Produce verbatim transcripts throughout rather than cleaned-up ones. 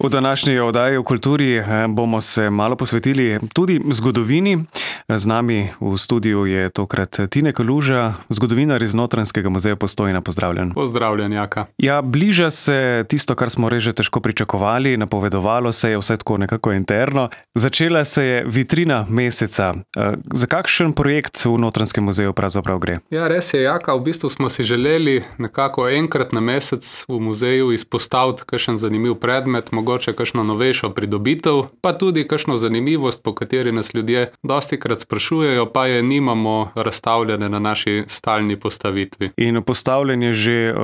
V današnji oddaji o kulturi bomo se malo posvetili tudi zgodovini. Z nami v studiu je tokrat Tine Kaluža, zgodovinar iz Notranjskega muzeja Postojna. Pozdravljen. Pozdravljen, Jaka. Ja, bliža se tisto, kar smo res že težko pričakovali, napovedovalo se je vse tako nekako interno. Začela se je vitrina meseca. Za kakšen projekt v Notranjskem muzeju pravzaprav gre? Ja, res je, Jaka. V bistvu smo si želeli nekako enkrat na mesec v muzeju izpostaviti kakšen zanimiv predmet, mogoče kakšno novejšo pridobitev, pa tudi kakšno zanimivost, po kateri nas ljudje dostikrat sprašujejo, pa je nimamo razstavljene na naši stalni postavitvi. In postavljen je že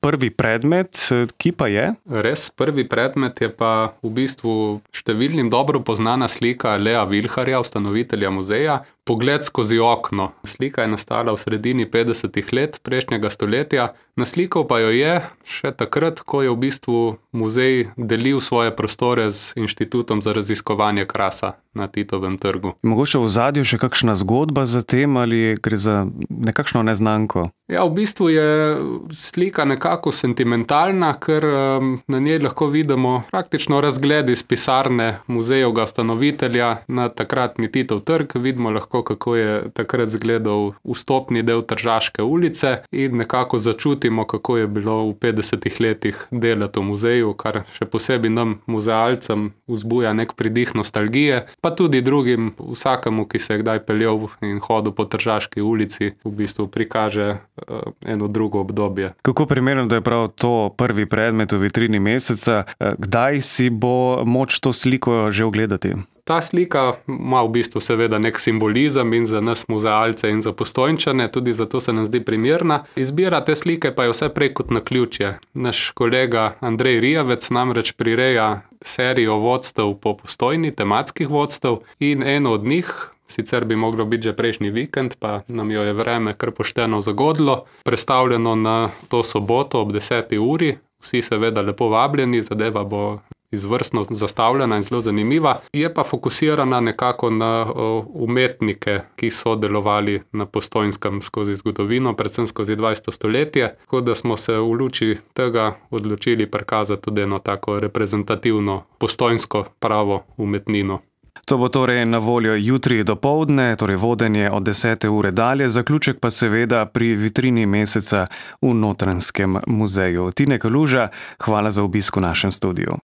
prvi predmet, ki pa je? Res, prvi predmet je pa v bistvu številnim dobro poznana slika Lea Vilharja, ustanovitelja muzeja, Pogled skozi okno. Slika je nastala v sredini petdesetih let prejšnjega stoletja. Naslikal pa jo je še takrat, ko je v bistvu muzej delil svoje prostore z Inštitutom za raziskovanje krasa na Titovem trgu. Mogoče v ozadju še kakšna zgodba za tem ali gre za nekakšno neznanko? Ja, v bistvu je slika nekako sentimentalna, ker na njej lahko vidimo praktično razgled iz pisarne muzejevega ustanovitelja na takratni Titov trg. Vidimo lahko, kako je takrat izgledal vstopni del Tržaške ulice in nekako začutimo, kako je bilo v petdesetih letih delati v muzeju, kar še posebej nam, muzealcem, vzbuja nek pridih nostalgije, pa tudi drugim, vsakemu, ki se je kdaj peljal in hodil po Tržaški ulici, v bistvu prikaže eno drugo obdobje. Kako primerno, da je prav to prvi predmet v vitrini meseca? Kdaj si bo moč to sliko že ogledati? Ta slika ima v bistvu seveda nek simbolizem in za nas muzealce in za Postojnčane, tudi zato se nam zdi primerna. Izbira te slike pa je vse prej kot naključje. Naš kolega Andrej Rijavec namreč prireja serijo vodstev po Postojni, tematskih vodstev, in eno od njih, sicer bi moglo biti že prejšnji vikend, pa nam jo je vreme kar pošteno zagodlo, prestavljeno na to soboto ob deseti uri. Vsi seveda lepo vabljeni, zadeva bo izvrstno zastavljena in zelo zanimiva. Je pa fokusirana nekako na umetnike, ki so delovali na Postojnskem skozi zgodovino, predvsem skozi dvajseto stoletje, tako da smo se v luči tega odločili prikazati tudi eno tako reprezentativno postojnsko pravo umetnino. To bo torej na voljo jutri dopoldne, torej vodenje od desete ure dalje, zaključek pa seveda pri vitrini meseca v Notranjskem muzeju. Tine Kaluža, hvala za obisk v našem studiu.